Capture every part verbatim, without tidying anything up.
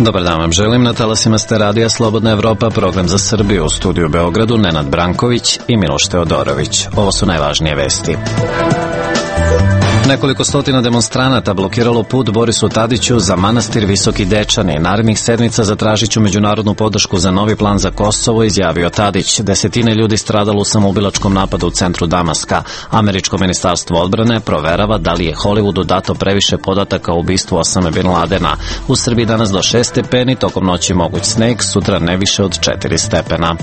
Dobar dan vam želim, na talasima ste Radija Slobodna Evropa, program za Srbiju, u studiju u Beogradu Nenad Branković i Miloš Teodorović. Ovo su najvažnije vesti. Nekoliko stotina demonstranata blokiralo put Borisu Tadiću za manastir Visoki Dečani. Narednih sedmica zatražit ću međunarodnu podršku za novi plan za Kosovo, izjavio Tadić. Desetine ljudi stradalo u samoubilačkom napadu u centru Damaska. Američko ministarstvo odbrane proverava da li je Hollywoodu dato previše podataka o ubistvu Osame Bin Ladena. U Srbiji danas do šest stepeni, tokom noći moguć sneg, sutra ne više od četiri stepena.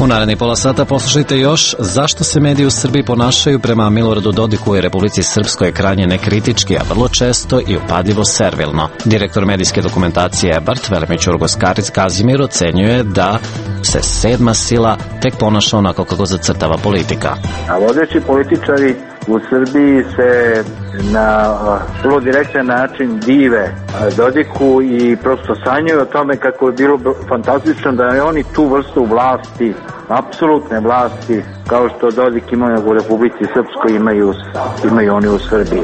U narednih pola sata poslušajte još zašto se mediji u Srbiji ponašaju prema Miloradu Dodiku i Republici Srpskoj krajnje nekritički, a vrlo često i upadljivo servilno. Direktor medijske dokumentacije EBART, Velimir Ćurgos Kazimir, ocenjuje da se sedma sila tek ponaša onako kako zacrtava politika. A vodeći političari u Srbiji se na vrlo direktan način dive Dodiku i prosto sanjaju o tome kako je bilo fantastično da je oni tu vrstu vlasti, apsolutne vlasti, kao što Dodik imaju u Republici Srpskoj, imaju, imaju oni u Srbiji.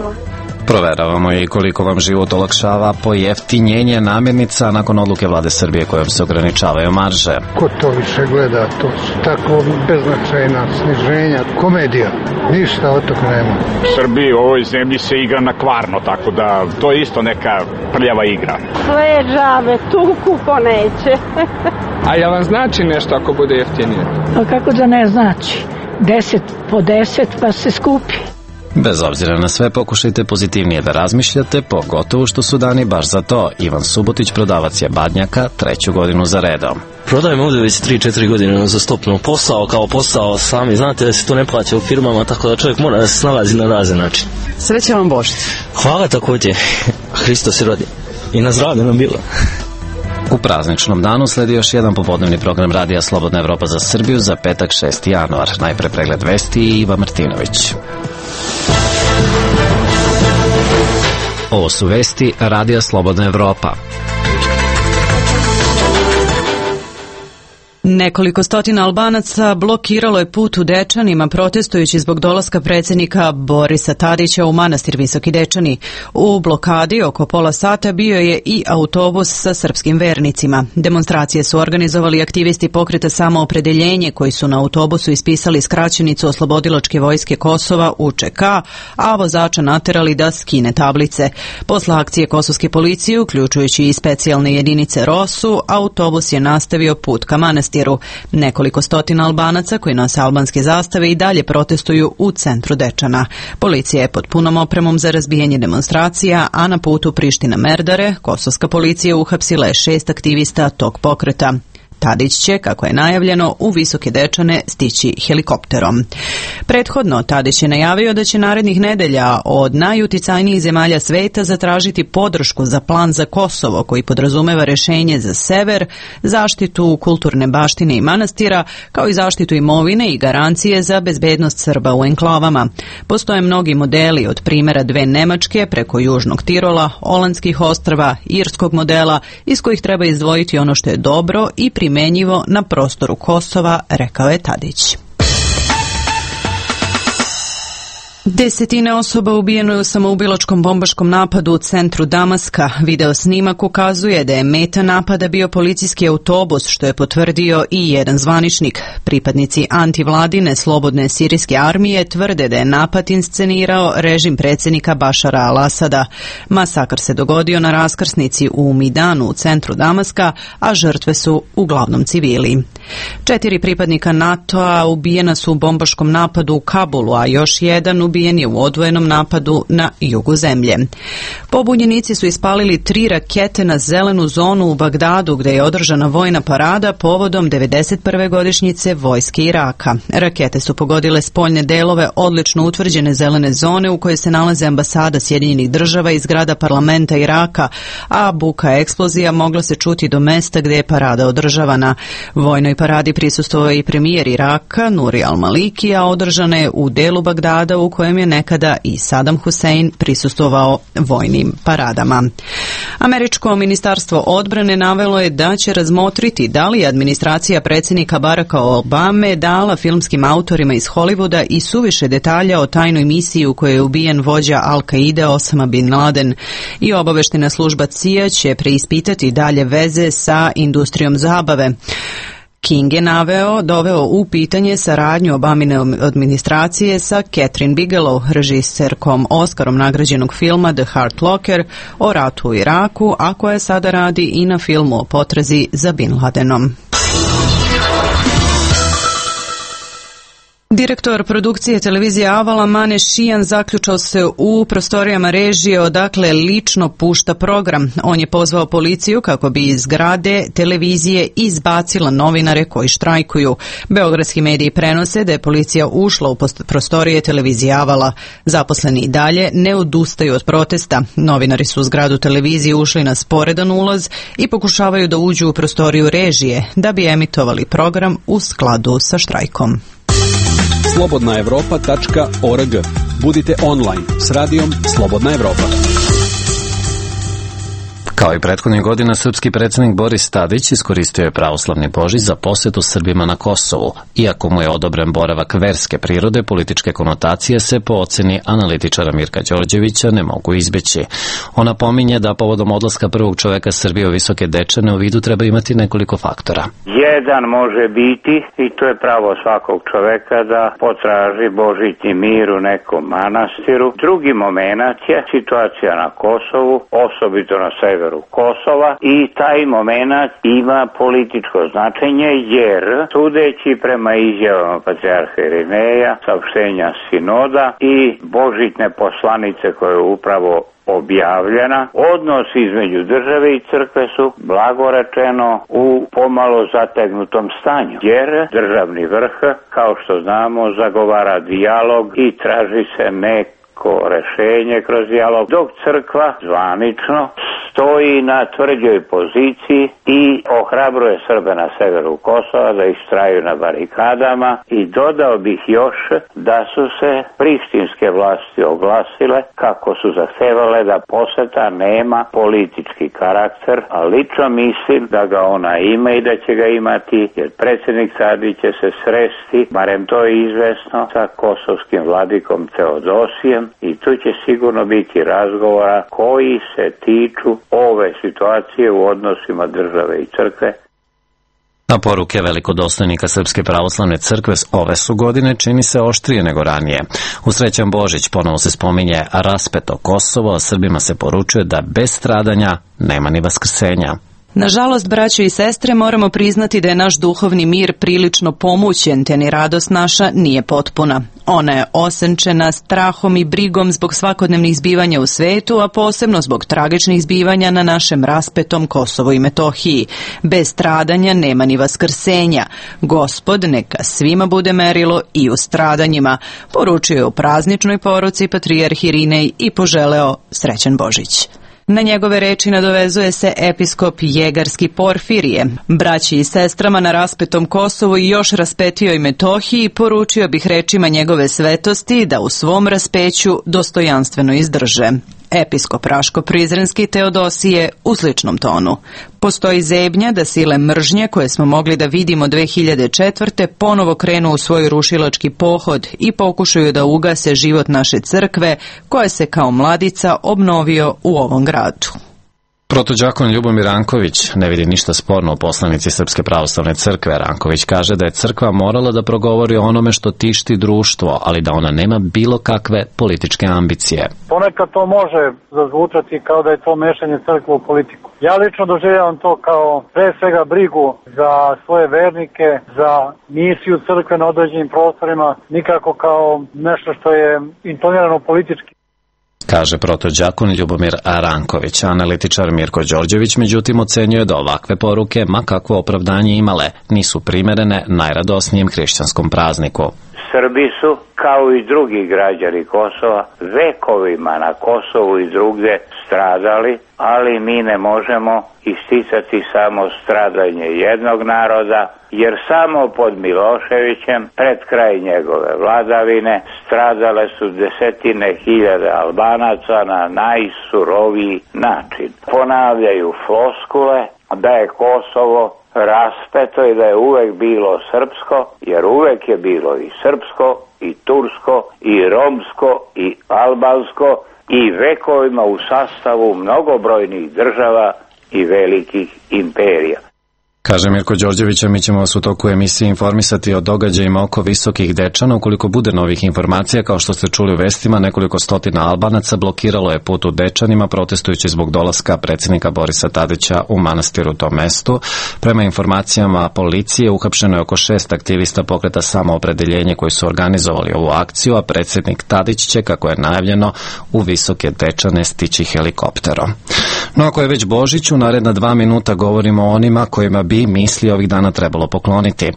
Proveravamo i koliko vam život olakšava pojeftinjenje namirnica nakon odluke vlade Srbije kojom se ograničavaju marže. Ko to više gleda, to su tako beznačajna sniženja, komedija, ništa od toga nema. U Srbiji, u ovoj zemlji se igra na kvarno, tako da to je isto neka prljava igra. Sve džabe, tuku ko neće. A ja vam znači nešto ako bude jeftinije? A kako da ne znači? Deset po deset pa se skupi. Bez obzira na sve, pokušajte pozitivnije da razmišljate, pogotovo što su dani baš za to. Ivan Subotić, prodavac je badnjaka, treću godinu za redom. Prodajem ovdje već tri četiri godine za stopno. Posao kao posao, sami znate da se to ne plaća u firmama, tako da čovjek mora da se snalazi na razne način. Sreća vam Božić. Hvala također. Hristo se rodi. I na zdravlje nam bilo. U prazničnom danu sledi još jedan popodnevni program Radija Slobodna Evropa za Srbiju za petak šesti januar. Najpre pregled vesti i Iva Martinović. Ovo su vesti Radija Slobodna Evropa. Nekoliko stotina Albanaca blokiralo je put u Dečanima protestujući zbog dolaska predsjednika Borisa Tadića u manastir Visoki Dečani. U blokadi oko pola sata bio je i autobus sa srpskim vernicima. Demonstracije su organizovali aktivisti pokreta Samoopredeljenje koji su na autobusu ispisali skraćenicu Oslobodilačke vojske Kosova U Č K, a vozača naterali da skine tablice. Posle akcije kosovske policije, uključujući i specijalne jedinice Rosu, autobus je nastavio put ka manastiru. Nekoliko stotina Albanaca koji nose albanske zastave i dalje protestuju u centru Dečana. Policija je pod punom opremom za razbijanje demonstracija, a na putu Priština-Merdare kosovska policija uhapsila je šest aktivista tog pokreta. Tadić će, kako je najavljeno, u Visoke Dečane stići helikopterom. Prethodno, Tadić je najavio da će narednih nedelja od najuticajnijih zemalja sveta zatražiti podršku za plan za Kosovo, koji podrazumeva rešenje za sever, zaštitu kulturne baštine i manastira, kao i zaštitu imovine i garancije za bezbednost Srba u enklavama. Postoje mnogi modeli, od primjera dve Nemačke preko Južnog Tirola, Olandskih ostrva, irskog modela, iz kojih treba izdvojiti ono što je dobro i primenjivo na prostoru Kosova, rekao je Tadić. Desetine osoba ubijeno je u samoubilačkom bombaškom napadu u centru Damaska. Video snimak ukazuje da je meta napada bio policijski autobus, što je potvrdio i jedan zvaničnik. Pripadnici antivladine slobodne sirijske armije tvrde da je napad inscenirao režim predsjednika Bašara al-Asada. Masakr se dogodio na raskrsnici u Midanu u centru Damaska, a žrtve su uglavnom civili. Četiri pripadnika NATO-a ubijena su u bombaškom napadu u Kabulu, a još jedan ubijen je u odvojenom napadu na jugu zemlje. Pobunjenici su ispalili tri rakete na zelenu zonu u Bagdadu, gdje je održana vojna parada povodom devedeset prve godišnjice vojske Iraka. Rakete su pogodile spoljne delove odlično utvrđene zelene zone u kojoj se nalaze ambasada Sjedinjenih država i zgrada parlamenta Iraka, a buka eksplozija mogla se čuti do mesta gdje je parada održavana. Vojnoj paradi prisustvovao i premijer Iraka Nuri al-Maliki, a održana je u delu Bagdada u kojem je nekada i Saddam Hussein prisustvovao vojnim paradama. Američko ministarstvo odbrane navelo je da će razmotriti da li je administracija predsjednika Baracka Obame dala filmskim autorima iz Hollywooda i suviše detalja o tajnoj misiji u kojoj je ubijen vođa Al-Qaide Osama bin Laden, i obaveštajna služba C I A će preispitati dalje veze sa industrijom zabave. King je naveo, doveo u pitanje saradnju Obamine administracije sa Catherine Bigelow, režiserkom Oskarom nagrađenog filma The Hurt Locker o ratu u Iraku, a koja sada radi i na filmu o potrazi za Bin Ladenom. Direktor produkcije televizije Avala Mane Šijan zaključao se u prostorijama režije odakle lično pušta program. On je pozvao policiju kako bi iz zgrade televizije izbacila novinare koji štrajkuju. Beogradski mediji prenose da je policija ušla u prostorije televizije Avala. Zaposleni i dalje ne odustaju od protesta. Novinari su u zgradu televizije ušli na sporedan ulaz i pokušavaju da uđu u prostoriju režije da bi emitovali program u skladu sa štrajkom. slobodna evropa tačka org. Budite online s radijom Slobodna Evropa. Kao i prethodnih godina, srpski predsjednik Boris Tadić iskoristio je pravoslavni Božić za posjetu Srbima na Kosovu. Iako mu je odobren boravak verske prirode, političke konotacije se po oceni analitičara Mirka Đorđevića ne mogu izbeći. Ona pominje da povodom odlaska prvog čoveka Srbije u Visoke Dečane u vidu treba imati nekoliko faktora. Jedan može biti, i to je pravo svakog čoveka, da potraži božićni mir u nekom manastiru. Drugi moment je situacija na Kosovu, osobito na severu Kosova, i taj moment ima političko značenje jer, sudeći prema izjavama patrijarha Irineja, saopštenja sinoda i božićne poslanice koja je upravo objavljena, odnos između države i crkve su, blago rečeno, u pomalo zategnutom stanju, jer državni vrh, kao što znamo, zagovara dijalog i traži se neko rešenje kroz dijalog, dok crkva zvanično stoji na tvrđoj poziciji i ohrabruje Srbe na severu Kosova da istraju na barikadama. I dodao bih još da su se prištinske vlasti oglasile kako su zahtevale da poseta nema politički karakter, a lično mislim da ga ona ima i da će ga imati, jer predsjednik Tadić će se sresti, barem to je izvesno, sa kosovskim vladikom Teodosijem, i tu će sigurno biti razgovora koji se tiču ove situacije u odnosima države i crkve. A poruke velikodostojnika Srpske pravoslavne crkve ove su godine čini se oštrije nego ranije. U Srećan Božić ponovo se spominje raspeto Kosovo, a Srbima se poručuje da bez stradanja nema ni vaskrsenja. Nažalost, braćo i sestre, moramo priznati da je naš duhovni mir prilično pomućen, te ni radost naša nije potpuna. Ona je osenčena strahom i brigom zbog svakodnevnih zbivanja u svetu, a posebno zbog tragičnih zbivanja na našem raspetom Kosovu i Metohiji. Bez stradanja nema ni vaskrsenja. Gospod neka svima bude merilo i u stradanjima, poručio je u prazničnoj poruci patrijarh Irinej i poželeo srećan Božić. Na njegove reči nadovezuje se episkop Jegarski Porfirije. Braći i sestrama na raspetom Kosovu i još raspetijoj Metohiji poručio bih rečima njegove svetosti da u svom raspeću dostojanstveno izdrže. Episkop Raško-Prizrenski Teodosije u sličnom tonu. Postoji zebnja da sile mržnje koje smo mogli da vidimo dve hiljade četvrte ponovo krenu u svoj rušilački pohod i pokušaju da ugase život naše crkve koje se kao mladica obnovio u ovom gradu. Protođakon Ljubomir Ranković ne vidi ništa sporno u poslanici Srpske pravoslavne crkve. Ranković kaže da je crkva morala da progovori o onome što tišti društvo, ali da ona nema bilo kakve političke ambicije. Ponekad to može zazvučati kao da je to mešanje crkve u politiku. Ja lično doživljavam to kao pre svega brigu za svoje vernike, za misiju crkve na određenim prostorima, nikako kao nešto što je intonirano politički. Kaže protođakon Ljubomir Ranković. Analitičar Mirko Đorđević međutim ocenjuje da ovakve poruke, ma kakvo opravdanje imale, nisu primerene najradosnijem hrišćanskom prazniku. Srbi su, kao i drugi građani Kosova, vekovima na Kosovu i drugde stradali, ali mi ne možemo isticati samo stradanje jednog naroda, jer samo pod Miloševićem, pred kraj njegove vladavine, stradale su desetine hiljada Albanaca na najsuroviji način. Ponavljaju floskule da je Kosovo raspeto i da je uvek bilo srpsko, jer uvek je bilo i srpsko, i tursko, i romsko, i albansko, i vekovima u sastavu mnogobrojnih država i velikih imperija. Kaže Mirko Đorđević, a mi ćemo vas u toku emisije informisati o događajima oko Visokih Dečana. Ukoliko bude novih informacija, kao što ste čuli u vestima, nekoliko stotina Albanaca blokiralo je put u Dečanima protestujući zbog dolaska predsjednika Borisa Tadića u manastir u tom mestu. Prema informacijama policije, uhapšeno je oko šest aktivista pokreta Samoopredeljenje koji su organizovali ovu akciju, a predsjednik Tadić će, kako je najavljeno, u Visoke Dečane stići helikopterom. No ako je već Božić, u naredna dva minuta govorimo o onima kojima bi misli ovih dana trebalo pokloniti.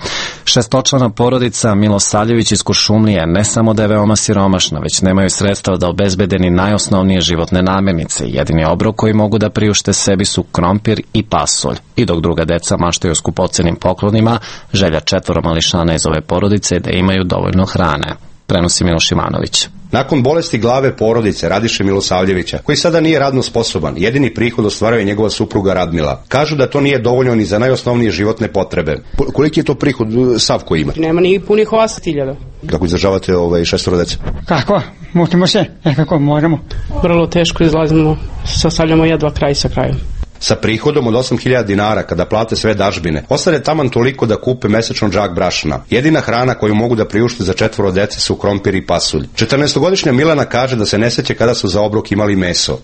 Šestočlana porodica Milosavljević iz Kuršumlije ne samo da je veoma siromašna, već nemaju sredstva da obezbede ni najosnovnije životne namirnice. Jedini obrok koji mogu da priušte sebi su krompir i pasulj. I dok druga deca maštaju o skupocenim poklonima, želja četvoro mališana iz ove porodice je da imaju dovoljno hrane. Prenosi Miloš Ivanović. Nakon bolesti glave porodice Radiše Milosavljevića, koji sada nije radno sposoban, jedini prihod ostvaruje njegova supruga Radmila. Kažu da to nije dovoljno ni za najosnovnije životne potrebe. Koliki je to prihod Savko ima? Nema ni punih osam hiljada. Kako izdržavate ovaj šestoro dece? Kako? Mutimo se, nekako moramo. Vrlo teško izlazimo, sastavljamo jedva kraj sa krajem. Sa prihodom od osam hiljada dinara, kada plate sve dažbine, ostane taman toliko da kupe mesečno džak brašna. Jedina hrana koju mogu da priušte za četvoro dece su krompir i pasulj. četrnaestogodišnja Milana kaže da se ne seća kada su za obrok imali meso.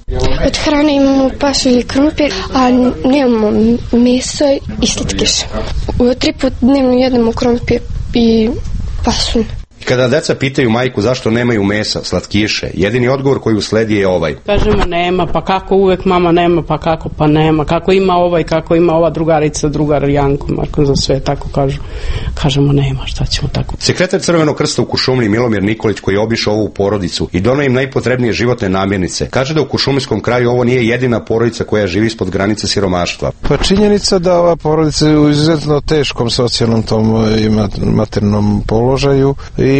Od hrane imamo pasulj i krompir, a nemamo meso i slatkiš. Tri put dnevno jedemo krompir i pasulj. Kada deca pitaju majku zašto nemaju mesa, slatkiše, jedini odgovor koji usledi je ovaj. Kažemo nema, pa kako uvek mama nema, pa kako pa nema, kako ima ovaj, kako ima ova drugarica, drugar Janko, Marko za sve, tako kažu. Kažemo nema, šta ćemo tako. Sekretar Crvenog krsta u Kuršumliji Milomir Nikolić, koji je obišao ovu porodicu i doneo im najpotrebnije životne namirnice, kaže da u kuršumlijskom kraju ovo nije jedina porodica koja živi ispod granice siromaštva. Pa činjenica da ova porodica je u izuzetno teškom socijalnom tom i materijalnom položaju i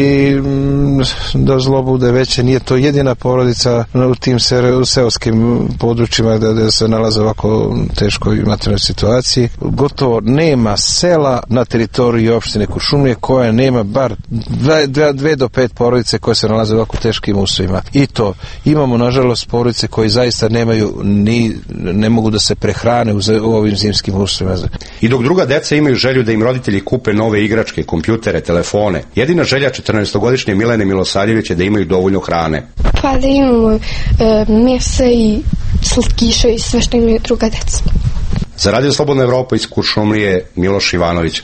da zlo bude veće, nije to jedina porodica u tim seoskim područjima gde se nalaze ovako teškoj materijalnoj situaciji. Gotovo nema sela na teritoriji opštine Kuršumlije koja nema bar dve, dve, dve do pet porodice koje se nalaze u ovako teškim uslovima. I to imamo nažalost porodice koje zaista nemaju ni, ne mogu da se prehrane u, u ovim zimskim uslovima. I dok druga deca imaju želju da im roditelji kupe nove igračke, kompjutere, telefone, jedina želja četrnaestogodišnje Milene Milosavljevića da imaju dovoljno hrane. Pa da imamo e, mesa i slatkiše i sve što imaju druga deca. Za Radio Slobodna Evropa iz Kuršumlije, Miloš Ivanović.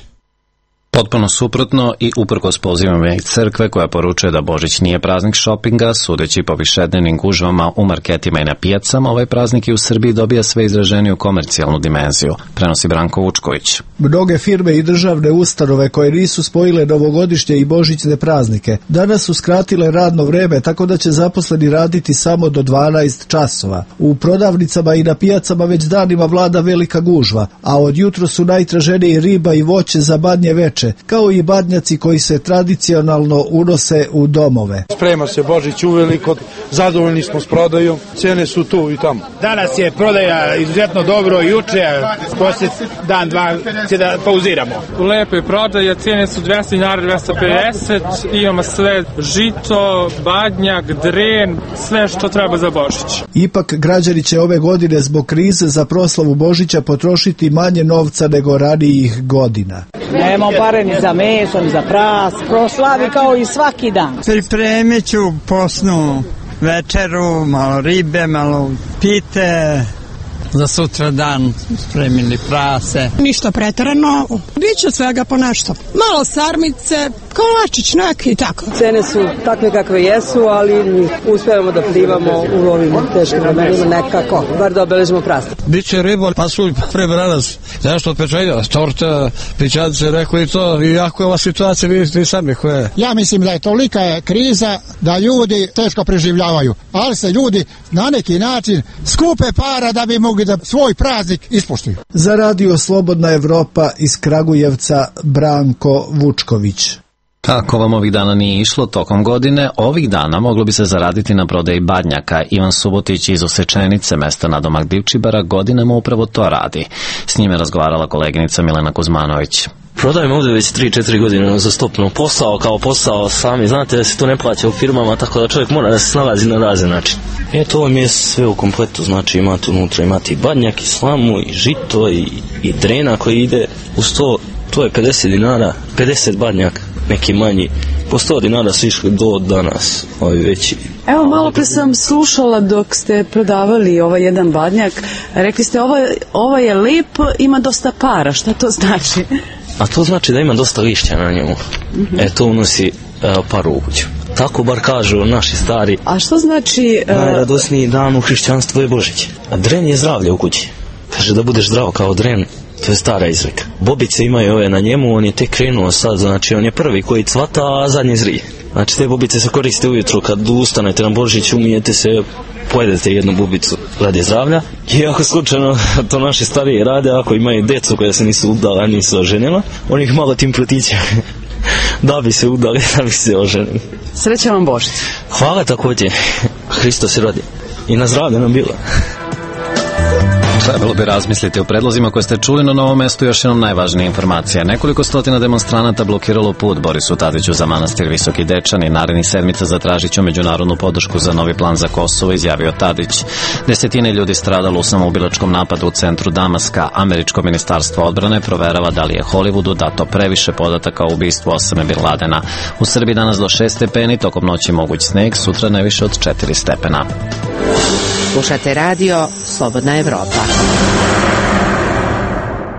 Potpuno suprotno i uprkos pozivama iz crkve koja poručuje da Božić nije praznik šopinga, sudeći po višednevnim gužvama u marketima i na pijacama, ovaj praznik i u Srbiji dobija sve izraženiju komercijalnu dimenziju, prenosi Branko Vučković. Mnoge firme i državne ustanove koje nisu spojile novogodišnje i božićne praznike danas su skratile radno vreme tako da će zaposleni raditi samo do dvanaest časova. U prodavnicama i na pijacama već danima vlada velika gužva, a od jutro su najtraženiji riba i voće za badnje veče, kao i badnjaci koji se tradicionalno unose u domove. Sprema se Božić uveliko, zadovoljni smo s prodajom, cene su tu i tamo. Danas je prodaja izuzetno dobro, juče, posle dan, dva, će da pauziramo. Lepo je prodaja, cene su dvesta dinara, dvesta pedeset, imamo sve žito, badnjak, dren, sve što treba za Božić. Ipak građani će ove godine zbog krize za proslavu Božića potrošiti manje novca nego ranijih godina. Nemamo pare ni za meso, ni za pras, proslavi kao i svaki dan. Pripremit ću posnu večeru, malo ribe, malo pite, za sutra dan spremili prase. Ništa preterano, biće svega po nešto. Malo sarmice, kolačić neki i tako. Cene su takve kakve jesu, ali uspevamo da plivamo u ovim teškim vremenima nekako, bar da obeležimo praznik. Biće riba, pasulj, prebranac, nešto pečenja, torta, pićance, rekao i to, i jako je ova situacija, vidite i sami koja je. Ja mislim da je tolika je kriza da ljudi teško preživljavaju, ali se ljudi na neki način skupe para da bi mogli da svoj praznik ispoštuju. Za radio Slobodna Evropa iz Kragujevca Branko Vučković. Ako vam ovih dana nije išlo tokom godine, ovih dana moglo bi se zaraditi na prodaji badnjaka. Ivan Subotić iz Osečenice, mesta nadomak Divčibara, godinama upravo to radi. S njime razgovarala koleginica Milena Kuzmanović. Prodajem ovdje već tri četiri godine za stopno. Posao kao posao, sami znate da se to ne plaća u firmama, tako da čovjek mora da se snalazi na razne način. E, to vam je sve u kompletu, znači imate unutra, imate i badnjak, i slamu, i žito, i, i drena koji ide uz to, to je pedeset dinara, pedeset badnjak, neki manji, po sto dinara su išli do danas, ovi veći. Evo, malo pre sam slušala dok ste prodavali ovaj jedan badnjak, rekli ste ovo, ovo je lep, ima dosta para, šta to znači? A to znači da ima dosta lišća na njemu. Mm-hmm. E, to unosi e, paru u kuću. Tako bar kažu naši stari. A što znači... Uh... Najradosniji dan u hrišćanstvu je Božić. A dren je zdravlje u kući. Kaže da budeš zdrav kao dren, to je stara izreka. Bobice imaju ove na njemu, on je tek krenuo sad, znači on je prvi koji cvata, a zadnji zrije. Znači te bobice se koriste ujutru, kad ustanete na Božić, umijete se, pojedete jednu bubicu radi zdravlja. I ako slučajno to naši stariji rade, ako imaju decu koja se nisu udala, nisu oženila, oni ih malo tim pritiće da bi se udali, da bi se oženili. Sreća vam Božić. Hvala također. Hristo se rodi. I na zdravlje nam bilo. Trebalo bi razmisliti o predlozima koje ste čuli na Novom mestu. Još jednom najvažnije informacije. Nekoliko stotina demonstranata blokiralo put Borisu Tadiću za manastir Visoki Dečani. Narednih sedmica zatražit ću međunarodnu podršku za novi plan za Kosovo, izjavio Tadić. Desetine ljudi stradalo u samoubilačkom napadu u centru Damaska. Američko ministarstvo odbrane proverava da li je Hollywoodu dato previše podataka o ubistvu Osame Bin Ladena. U Srbiji danas do šest stepeni, tokom noći moguć sneg, sutra najviše od četiri stepena. Slušate radio Slobodna Evropa.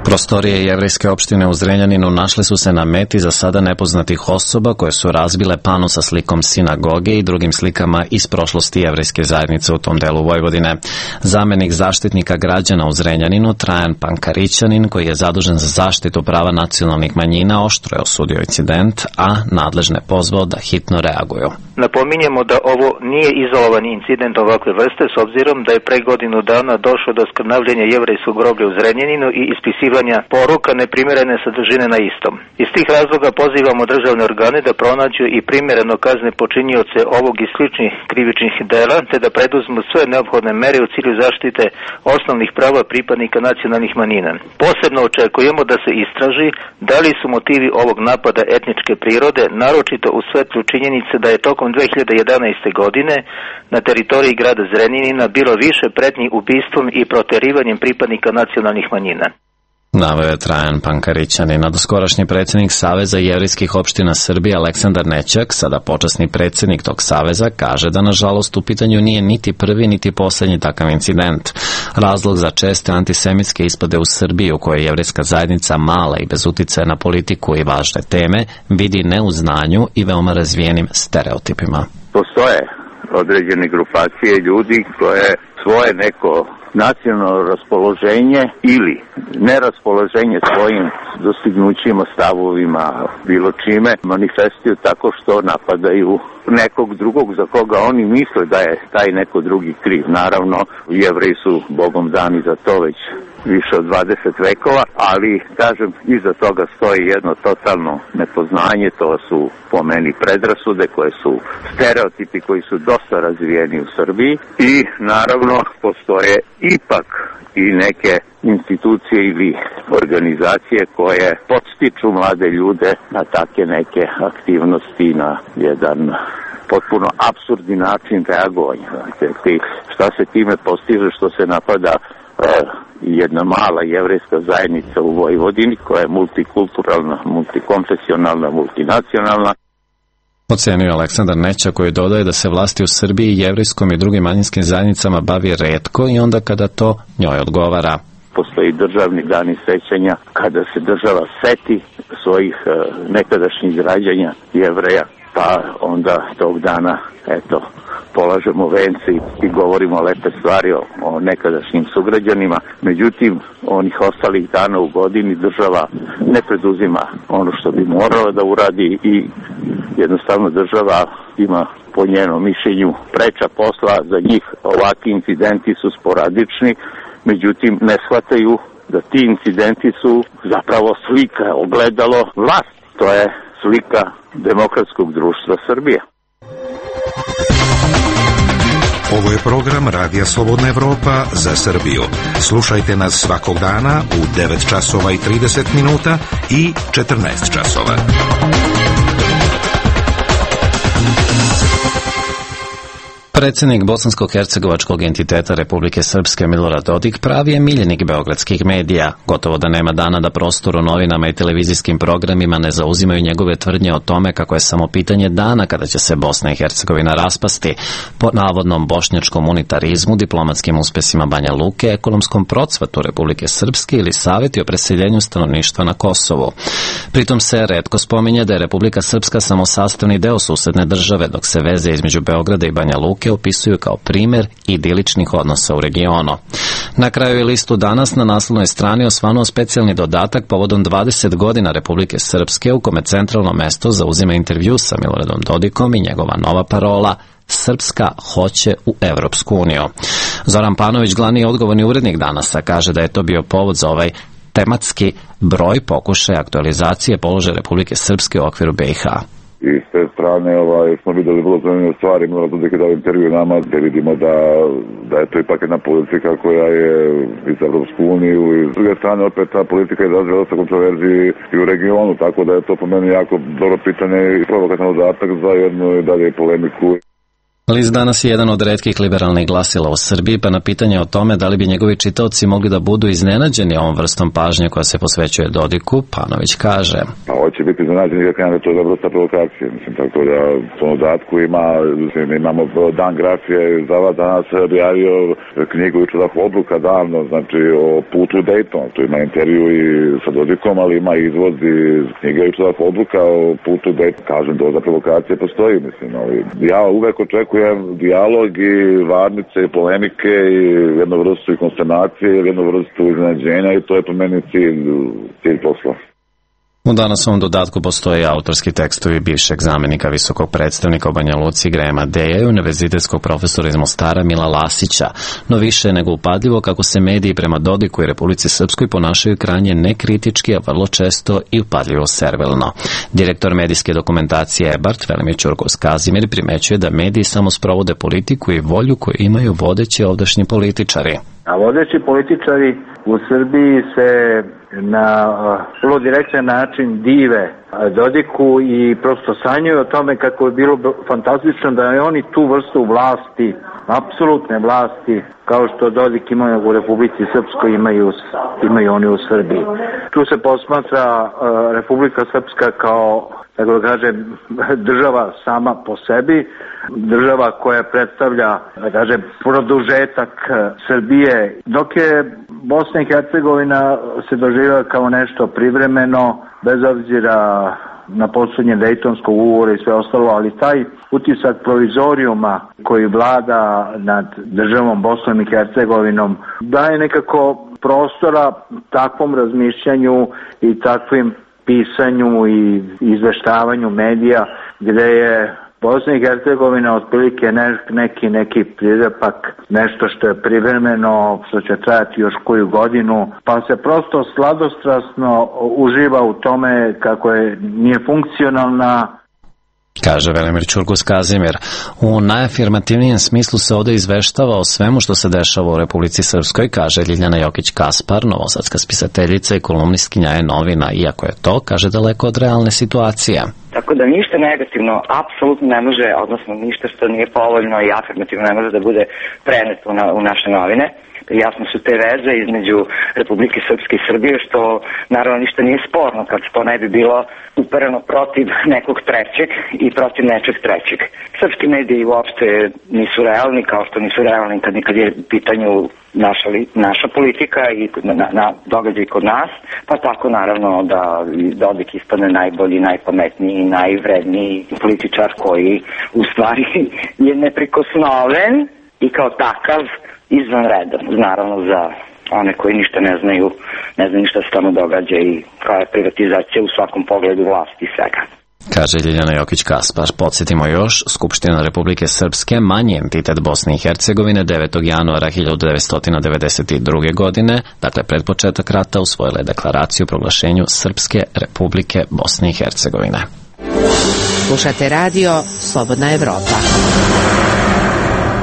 Prostorije jevrejske opštine u Zrenjaninu našle su se na meti za sada nepoznatih osoba koje su razbile pano sa slikom sinagoge i drugim slikama iz prošlosti jevrejske zajednice u tom delu Vojvodine. Zamenik zaštitnika građana u Zrenjaninu, Trajan Pankarićanin, koji je zadužen za zaštitu prava nacionalnih manjina, oštro je osudio incident, a nadležne pozvao da hitno reaguju. Napominjemo da ovo nije izolovan incident ovakve vrste, s obzirom da je pre godinu dana došlo do skrnavljenja jevrejskog groblja u Zrenjaninu i ispisivanja poruka neprimjerene sadržine na istom. Iz tih razloga pozivamo državne organe da pronađu i primjereno kazne počinioce ovog i sličnih krivičnih dela, te da preduzmu sve neophodne mere u cilju zaštite osnovnih prava pripadnika nacionalnih manjina. Posebno očekujemo da se istraži da li su motivi ovog napada etničke prirode, naročito u svetlu činjenice da je tokom dve hiljade jedanaeste. godine na teritoriji grada Zrenjanina bilo više pretnji ubistvom i proterivanjem pripadnika nacionalnih manjina. Naveo je Trajan Pankarićanin. Nadoskorašnji predsjednik Saveza jevrejskih opština Srbije Aleksandar Nećak, sada počasni predsjednik tog saveza, kaže da nažalost u pitanju nije niti prvi niti posljednji takav incident. Razlog za česte antisemitske ispade u Srbiji, u kojoj je jevrejska zajednica mala i bez uticaja na politiku i važne teme, vidi ne u znanju i veoma razvijenim stereotipima. Postoje određene grupacije ljudi koje svoje neko nacionalno raspoloženje ili neraspoloženje svojim dostignućima, stavovima, bilo čime, manifestuju tako što napadaju nekog drugog za koga oni misle da je taj neko drugi kriv. Naravno, Jevreji su Bogom dani za to već više od dvadeset vekova, ali, kažem, iza toga stoji jedno totalno nepoznanje, to su po meni predrasude koje su stereotipi koji su dosta razvijeni u Srbiji i, naravno, postoje ipak i neke institucije ili organizacije koje podstiču mlade ljude na takve neke aktivnosti, na jedan potpuno apsurdni način reagovanja. Šta se time postiže što se napada jedna mala jevrejska zajednica u Vojvodini koja je multikulturalna, multikonfesionalna, multinacionalna. Ocenio Aleksandar Nećak, koji dodaje da se vlasti u Srbiji jevrejskom i drugim manjinskim zajednicama bavi retko i onda kada to njoj odgovara. postoji državni dani sećanja kada se država seti svojih uh, nekadašnjih građanja Jevreja, pa onda tog dana, eto, polažemo vence i, i govorimo lepe stvari o, o nekadašnjim sugrađanima. Međutim, onih ostalih dana u godini država ne preduzima ono što bi morala da uradi i jednostavno država ima, po njenom mišljenju, preča posla. Za njih ovakvi incidenti su sporadični, međutim ne shvataju da ti incidenti su zapravo slika, ogledalo vlast. To je slika demokratskog društva Srbije. Ovo je program Radija Slobodna Evropa za Srbiju. Slušajte nas svakog dana u devet časova i trideset minuta i četrnaest časova. Predsjednik bosansko-hercegovačkog entiteta Republike Srpske Milorad Dodik pravi je miljenik beogradskih medija. Gotovo da nema dana da prostor u novinama i televizijskim programima ne zauzimaju njegove tvrdnje o tome kako je samo pitanje dana kada će se Bosna i Hercegovina raspasti po navodnom bošnjačkom unitarizmu, diplomatskim uspesima Banja Luke, ekonomskom procvatu Republike Srpske ili savjeti o preseljenju stanovništva na Kosovu. Pritom se retko spominje da je Republika Srpska samo sastavni deo susedne države, dok se veze između Beograda i Banja Luke opisuju kao primjer idiličnih odnosa u regionu. Na kraju je listu danas na naslovnoj strani osvanuo specijalni dodatak povodom dvadeset godina Republike Srpske, u kome centralno mesto zauzima intervju sa Miloradom Dodikom i njegova nova parola Srpska hoće u Evropsku uniju. Zoran Panović, glavni odgovorni urednik Danasa, kaže da je to bio povod za ovaj tematski broj pokušaja aktualizacije položaja Republike Srpske u okviru B i H. I s te strane ovaj, smo videli vrlo zanimljive stvari, Milorad Dodik je dao intervju nama gdje vidimo da, da je to ipak jedna politika koja je iz Evropsku uniju i s druge strane opet ta politika je izazvala dosta kontroverziji i u regionu, tako da je to po meni jako dobro pitanje i provokatan dodatak za jednu i dalje polemiku. List danas je jedan od retkih liberalnih glasila u Srbiji, pa na pitanje o tome da li bi njegovi čitaoci mogli da budu iznenađeni ovom vrstom pažnje koja se posvećuje Dodiku, Panović kaže. Pa hoće biti iznenađeni jer kada to je vrsta provokacije, mislim, tako da u tom dodatku ima, mislim, imamo Dan grafije, Zava danas objavio knjigu i čudah odluka davno, znači o putu u Dayton, tu ima intervju i sa Dodikom, ali ima izvod iz knjige i čudah odluka o putu u Dayton, kažem, doza provokacije postoji, mislim, ali ja uvek očekujem dijalog i varnice i polemike i jednu vrstu i konsternacije i jednu vrstu iznenađenja i to je po meni cilj, cilj posla. U danasovom dodatku postoje autorski tekstovi bivšeg zamjenika visokog predstavnika u Banja Luci Grema Deja i univerzitetskog profesora iz Mostara Mila Lasića, no više je nego upadljivo kako se mediji prema Dodiku i Republici Srpskoj ponašaju krajnje nekritički, a vrlo često i upadljivo servilno. Direktor medijske dokumentacije Ebart, Velimir Ćurkos Kazimir, primećuje da mediji samo sprovode politiku i volju koju imaju vodeći ovdašnji političari. A vodeći političari u Srbiji se na vrlo direktan način dive Dodiku i prosto sanjaju o tome kako je bilo fantastično da je oni tu vrstu vlasti, apsolutne vlasti, kao što Dodik imaju u Republici Srpskoj, imaju, imaju oni u Srbiji. Tu se posmatra uh, Republika Srpska kao, tako da kažem, država sama po sebi, država koja predstavlja, da kažem, produžetak Srbije, dok je Bosna i Hercegovina se doživjela kao nešto privremeno, bez obzira na poslednje Dejtonskog ugovora i sve ostalo, ali taj utisak provizorijuma koji vlada nad državom Bosnom i Hercegovinom daje nekako prostora takvom razmišljanju i takvim pisanju i izveštavanju medija, gde je Bosna i Hercegovina otprilike neki, neki prirepak, nešto što je privremeno, što će trajati još koju godinu, pa se prosto sladostrasno uživa u tome kako je nije funkcionalna. Kaže Velimir Ćurkos Kazimir. U najafirmativnijem smislu se ovdje izveštava o svemu što se dešava u Republici Srpskoj, kaže Ljiljana Jokić-Kaspar, novosadska spisateljica i kolumnistkinja je novina, iako je to, kaže, daleko od realne situacije. Tako da ništa negativno apsolutno ne može, odnosno ništa što nije povoljno i afirmativno ne može da bude preneto u, na, u naše novine. jasno su te veze između Republike Srpske i Srbije, što naravno ništa nije sporno kad to ne bi bilo upereno protiv nekog trećeg i protiv nečeg trećeg. Srpski mediji uopšte nisu realni, kao što nisu realni kad nikad je u pitanju naša, li, naša politika i na, na događaj kod nas, pa tako naravno da Dodik ispane najbolji, najpametniji, najvredniji političar koji u stvari je neprikosnoven i kao takav izvanredan, naravno za one koji ništa ne znaju, ne znaju ništa se tamo događa i koja je privatizacija u svakom pogledu vlasti i svega. Kaže Ljiljana Jokić-Kaspar. Podsjetimo još, Skupština Republike Srpske, manji entitet Bosne i Hercegovine, devetog januara hiljadu devetsto devedeset druge. godine, dakle pred početak rata, usvojila je deklaraciju o proglašenju Srpske Republike Bosne i Hercegovine. Slušate radio Slobodna Evropa.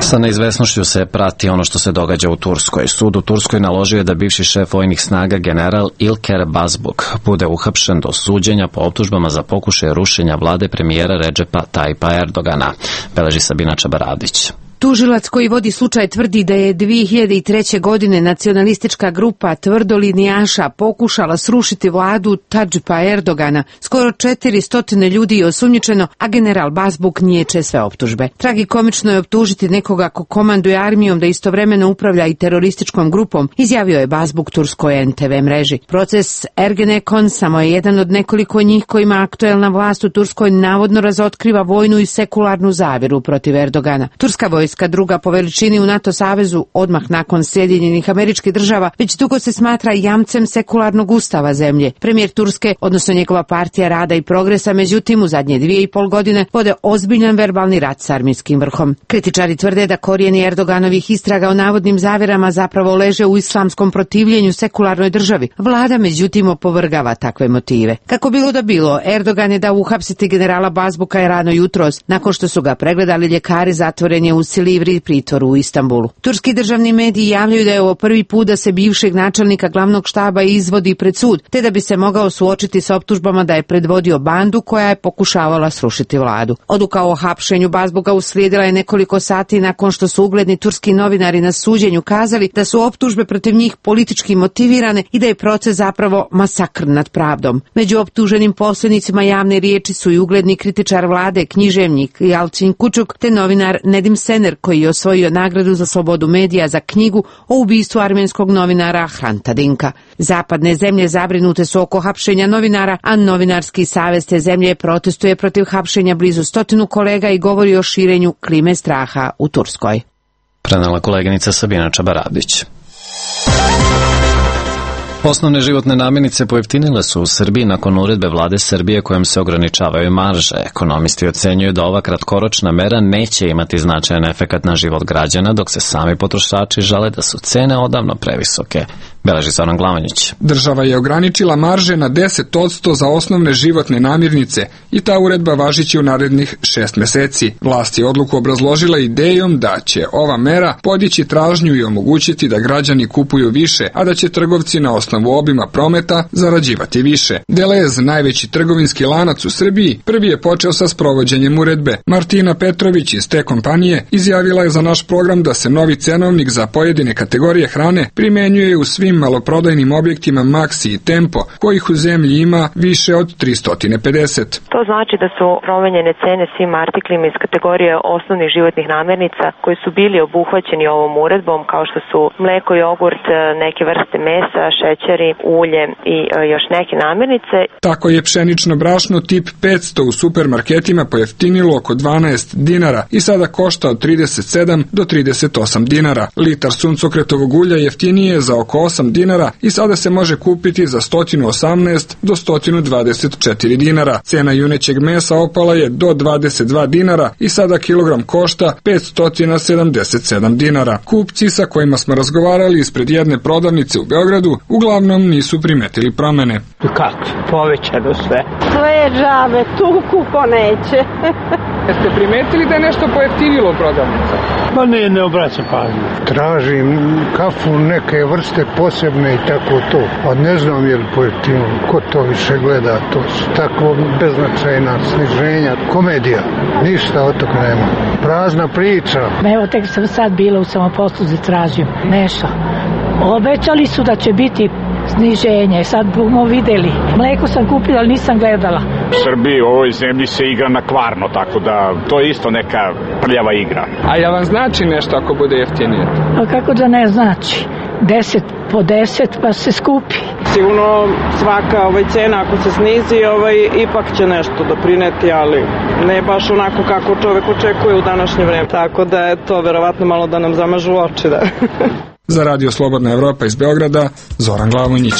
Sa neizvesnošću se prati ono što se događa u Turskoj. Sud u Turskoj naložio je da bivši šef vojnih snaga general Ilker Bazbuk bude uhapšen do suđenja po optužbama za pokušaj rušenja vlade premijera Redžepa Tajipa Erdogana, beleži Sabina Čabaradić. Tužilac koji vodi slučaj tvrdi da je dve hiljade treće. godine nacionalistička grupa tvrdolinijaša pokušala srušiti vladu Tadžipa Erdogana. Skoro četiristo ljudi je osumnjičeno, a general Bazbuk niječe sve optužbe. Tragikomično je optužiti nekoga ko komanduje armijom da istovremeno upravlja i terorističkom grupom, izjavio je Bazbuk turskoj en te ve mreži. Proces Ergenekon samo je jedan od nekoliko njih kojima aktuelna vlast u Turskoj navodno razotkriva vojnu i sekularnu zavjeru protiv Erdogana. Turska vojska, druga po veličini u NATO savezu, odmah nakon Sjedinjenih Američkih Država, već dugo se smatra jamcem sekularnog ustava zemlje. Premijer Turske, odnosno njegova partija Rada i Progresa, međutim u zadnje dvije i pol godine vode ozbiljan verbalni rat s armijskim vrhom. Kritičari tvrde da korijeni Erdoganovih istraga o navodnim zavjerama zapravo leže u islamskom protivljenju sekularnoj državi. Vlada međutim opovrgava takve motive. Kako bilo da bilo, Erdogan je dao uhapsiti generala Bazbuka rano jutros. Nakon što su ga pregledali ljekari, zatvoren je u Silivri pritvoru u Istanbulu. Turski državni mediji javljaju da je ovo prvi put da se bivšeg načelnika glavnog štaba izvodi pred sud, te da bi se mogao suočiti sa optužbama da je predvodio bandu koja je pokušavala srušiti vladu. Odluka o hapšenju Bazbuka uslijedila je nekoliko sati nakon što su ugledni turski novinari na suđenju kazali da su optužbe protiv njih politički motivirane i da je proces zapravo masakr nad pravdom. Među optuženim posljednicima javne riječi su i ugledni kritičar vlade, književnik Yalcin Kučuk, te novinar Nedim Sener, koji je osvojio nagradu za slobodu medija za knjigu o ubistvu armenskog novinara Hranta Dinka. Zapadne zemlje zabrinute su oko hapšenja novinara, a novinarski savez te zemlje protestuje protiv hapšenja blizu stotinu kolega i govori o širenju klime straha u Turskoj. Prenela koleginica Sabina Čabaradić. Osnovne životne namirnice pojeftinile su u Srbiji nakon uredbe vlade Srbije kojom se ograničavaju marže. Ekonomisti ocenjuju da ova kratkoročna mera neće imati značajan efekat na život građana, dok se sami potrošači žale da su cene odavno previsoke. Beleži Zoran Glavanjić. Država je ograničila marže na deset posto za osnovne životne namirnice i ta uredba važiće u narednih šest meseci. Vlast je odluku obrazložila idejom da će ova mera podići tražnju i omogućiti da građani kupuju više, a da će trgovci na osnovu obima prometa zarađivati više. Delez, najveći trgovinski lanac u Srbiji, prvi je počeo sa sprovođenjem uredbe. Martina Petrović iz te kompanije izjavila je za naš program da se novi cenovnik za pojedine kategorije hrane primenjuje u svim maloprodajnim objektima Maxi i Tempo, kojih u zemlji ima više od tristo pedeset. To znači da su promenjene cene svim artiklima iz kategorije osnovnih životnih namirnica koji su bili obuhvaćeni ovom uredbom, kao što su mleko, jogurt, neke vrste mesa, šećeri, ulje i još neke namirnice. Tako je pšenično brašno tip petsto u supermarketima pojeftinilo oko dvanaest dinara i sada košta od trideset sedam do trideset osam dinara. Litar suncokretovog ulja jeftinije je za oko osam dinara i sada se može kupiti za sto osamnaest do sto dvadeset četiri dinara. Cena junećeg mesa opala je do dvadeset dva dinara i sada kilogram košta petsto sedamdeset sedam dinara. Kupci sa kojima smo razgovarali ispred jedne prodavnice u Beogradu uglavnom nisu primetili promene. Kako? Povećano sve. Sve je džabe, tuku ko neće. Jeste primetili da je nešto pojeftinilo prodavnica? Pa ne, ne obraća pažnju. Tražim kafu neke vrste posebne i tako to. A ne znam je li pojeftinilo. Ko to više gleda? To su tako beznačajna sniženja. Komedija. Ništa od toga nema. Prazna priča. Evo, tek sam sad bila u samoposluzi, tražim nešto. Obećali su da će biti sniženje, sad bomo videli. Mleko sam kupila, ali nisam gledala. U Srbiji, u ovoj zemlji se igra na kvarno, tako da to je isto neka prljava igra. A ja vam znači nešto ako bude jeftinije? A kako da ne znači? Deset po deset pa se skupi. Sigurno svaka ovaj cena ako se snizi, ovaj, ipak će nešto doprineti, ali ne baš onako kako čovek očekuje u današnje vreme. Tako da je to verovatno malo da nam zamažu oči. Da. Za Radio Slobodna Evropa iz Beograda, Zoran Glavonjić.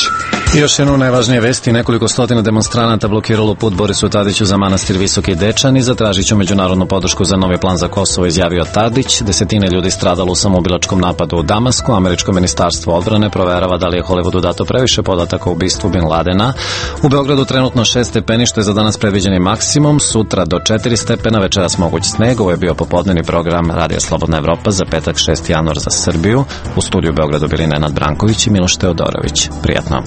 I još jedno najvažnije vesti, nekoliko stotina demonstranata blokiralo put Borisu Tadiću za manastir Visoki Dečani, zatražit ću međunarodnu podršku za novi plan za Kosovo, izjavio Tadić. Desetine ljudi stradalo u samoubilačkom napadu u Damasku. Američko ministarstvo odbrane proverava da li je Hollywoodu dato previše podataka o ubistvu Bin Ladena. U Beogradu trenutno šest stepeni, što je za danas predviđeni maksimum, sutra do četiri stepena, večeras moguć sneg. Ovo je bio popodnevni program Radio Slobodna Evropa za petak šesti januar za Srbiju. U studiju u Beogradu bili Nenad Branković i Miloš Teodorović. Prijatno.